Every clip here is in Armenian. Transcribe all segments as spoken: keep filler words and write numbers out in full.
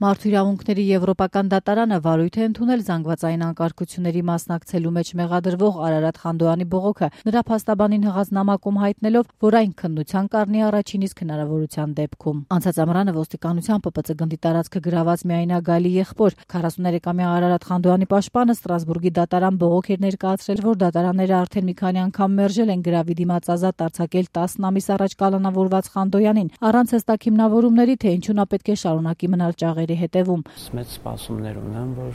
Մարդու իրավունքների եվրոպական դատարանը վարույթ է ընդունել զանգվածային անկարգությունների մասնակցելու մեջ մեղադրվող Արարատ Խանդոյանի բողոքը, նրա փաստաբանին հղած նամակում հայտնելով, որ այն քննության կառնի առաջին իսկ հնարավորության դեպքում։ Անցած ամռանը ոստիկանության Պ Պ Ծ գնդի տարածքը գրաված միայնագալի եղբոր քառասուներեքամյա Արարատ Խանդոյանի պաշտպանը Ստրասբուրգի դատարան բողոք էր ներկայացրել, որ դատարանները արդեն մի քանի անգամ մերժել են գրավի դիմաց ազատ արձակել տասն ամիս առաջ կալանավորված Խանդոյանին, առանց հստակ հիմնավորումների, թե ինչու նա պետք է շարունակի մնալ ճաղերի հետևում։ Մեծ սպասումներ ունեմ, որ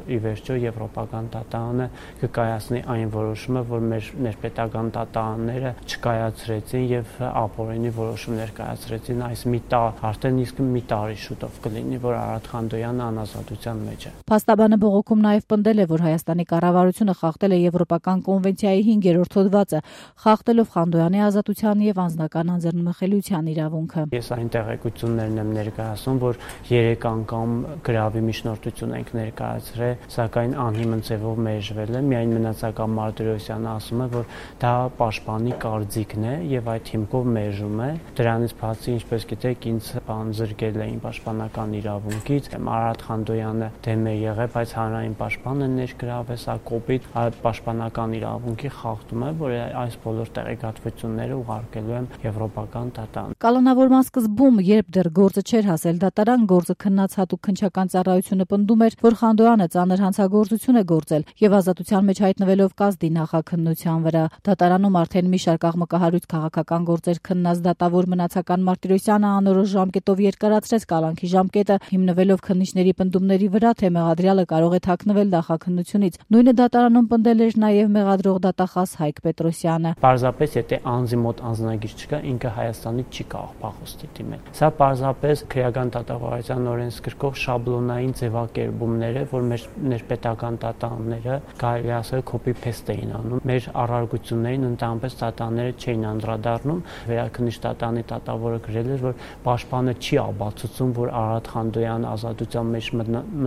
ի վերջո եվրոպական դատարանը կկայացնի այն որոշումը, որ մեր ներպետական դատարանները չկայացրեցին եւ ապօրինի որոշումներ կայացրեցին, այս մի տար, արդեն իսկ մի տարի շուտով կլինի, որ Արարատ Խանդոյանը անազատության մեջ է։ Փաստաբանը բողոքում նաեւ պնդել է, որ Հայաստանի կառավարությունը խախտել է Եվրոպական կոնվենցիայի հինգերորդ հոդվածը, խախտելով Խանդոյանի ազատության եւ անձնական անձեռնմխելիության իրավունքը։ Ես այն տեղեկություններն եմ ներկայացնում, որ երեք անգամ գրավի միջնորդություն ենք ներկայացրել, սակայն անհիմն ձևով մերժվել է։ Միայն մնացական Մարտիրոսյանը ասում է, որ դա պաշտպանի կարծիքն է եւ այդ հիմքով մերժում է։ Դրանից բացի, ինչպես գիտեք, ինձ բանձրկել էին պաշտպանական իրավունքից։ Արարատ Խանդոյանը դեմ է եղել, բայց հանրային պաշտպանը ներգրավեց, սա կոպիտ պաշտպանական իրավունքի խախտում է, որ այս բոլոր տեղեկատվությունները ուղարկելու եմ եվրոպական դատարան։ Կալանավորման սկզբում, երբ դեռ գործը չէր հասել դատարան, գործը քննած հատուկ քննչական ծառայությունը պնդում էր, որ Խանդոյանը ծանր հանցագործություն է գործել եւ ազատության մեջ հայտնվելով կազդի նախաքննության վրա։ Դատարանում արդեն մի շարք աղմկահարույց քաղաքական գործեր քննած դատավոր մնացական Մարտիրոսյանը անորոշ ժամկետով երկարացրեց կալանքի ժամկետը, հիմնվելով քննիչների պնդումների վրա, թե մեղադրյալը կարող է թաքնվել նախաքննությունից։ Նույնը դատարանում պնդել էր նաեւ մեղադրող դատախազ Հայկ Պետրոսյանը։ Պարզապես եթե անձի մոտ անձնագիր չկա, ինքը Հայաստանից չի կարող փախուստի դիմել։ Սա պարզապես քրեական դատավարության օրենսգրքով շաբլոնային ձևակերպումներ է, որ մեր ներպետական դատարանները կարելի ասել copy-paste էին անում։ Մեր առարգություններին ընդհանրապես դատարանները չէին անդրադառնում։ Վերաքննիչ դատարանի դատավորը գրել էր, որ պաշտպանը չի ապացուցում, որ Արարատ Խանդոյանը ազատության մեջ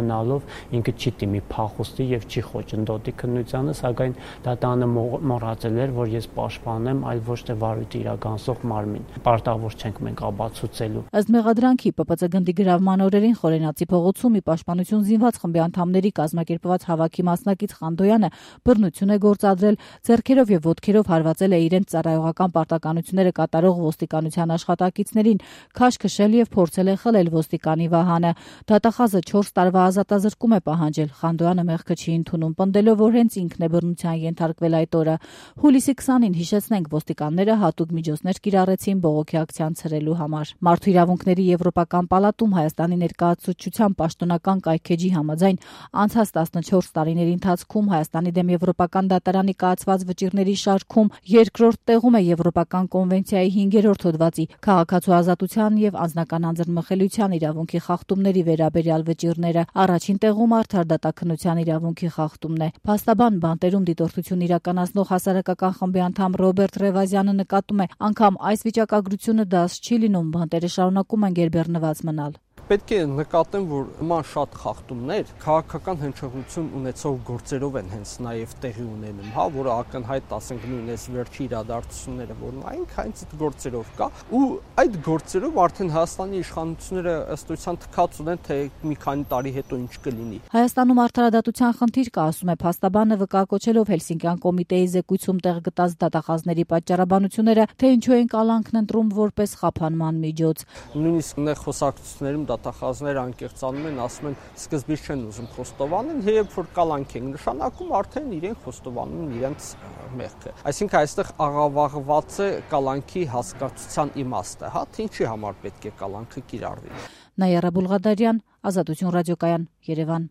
մնալով ինքը չի դիմի փախուստի եւ չի խոչընդոտի քննությանը, սակայն դատարանը մոռացել էր, որ ես պաշտպան եմ, այլ ոչ թե վարույթ իրականացող մարմին։ Պարտավոր չենք մենք ապացուցելու։ Ըստ մեղադրանքի Պ Պ Ծ գնդի գրավման օրերին Խորենացի փողոցում ի պաշտպանություն զինված խմբի անդամների կազմակերպված հավաքի մասնակից Խանդոյանը բռնություն է գործադրել, ձեռքերով եւ ոտքերով հարվածել է իրենց ծառայողական պարտականությունները կատարող ոստիկանության աշխատակիցներին, քաշ քշել եւ փորձել է խլել ոստիկանի վահանը։ Դատախազը չորս տարվա ազատազրկում է պահանջել։ Խանդոյանը մեղքը չի ընդունում, պնդելով, որ հենց ինքն է բռնության ենթարկվել այդ օրը։ Հուլիսի քսանին հիշեցնենք, ոստիկանները հատուկ միջոցներ կիրառեցին բողոքի ակցիան ցրելու համար։ Մարդու իրավունքների եվրոպական պալատում Հայաստանի ներկայացուցչության պաշտոնական կայքեջի համաձայն անցած տասնչորս տարիների ընթացքում Հայաստանի դեմ Եվրոպական դատարանի կայացված վճիռների շարքում երկրորդ տեղում է Եվրոպական կոնվենցիայի հինգերորդ հոդվածի քաղաքացու ազատության եւ անձնական անձեռնմխելիության իրավունքի խախտումների վերաբերյալ վճիռները, առաջին տեղում արդար դատաքննության իրավունքի խախտումն է։ Փաստաբան բանտերում դիտորդություն իրականացնող հասարակական խմբի անդամ Ռոբերտ Ռևազյանը նկատում է, անգամ այս վիճակագրությունը դաս չի լինում, բանտերը շարունակում են գերբեռնված մնալ։ Պետք է նկատեմ, որ նման շատ խախտումներ քաղաքական հնչողություն ունեցող գործերով են հենց նաև տեղի ունենում, հա, որը ակնհայտ ասենք նույն այս վերջի իրադարձությունները, որ նայենք հենց այդ գործերով կա, ու այդ գործերով արդեն Հայաստանի իշխանությունները ըստ էության թքած ունեն, թե մի քանի տարի հետո ինչ կլինի։ Հայաստանում արդարադատության խնդիր կա, ասում է փաստաբանը, վկայակոչելով Հելսինկյան կոմիտեի զեկույցում տեղ գտած դատախազների պատճառաբանությունները, թե ինչու են կալանքն ընտրում որպես խափանման միջոց։ Նույնիսկ նեղ խոսակցություններում դատախազները անկեղծանում են, ասում են սկզբից չեն ուզում խոստովանել, երբ որ կալանք են նշանակում, արդեն իրենք խոստովանում են իրենց մեղքը։ Այսինքն այստեղ աղավաղված է կալանքի հասկացության իմաստը, հա, թե ինչի համար պետք է կալանքը կիրառվի։ Նայարա Բուլղադարյան, Ազատություն ռադիոկայան, Երևան։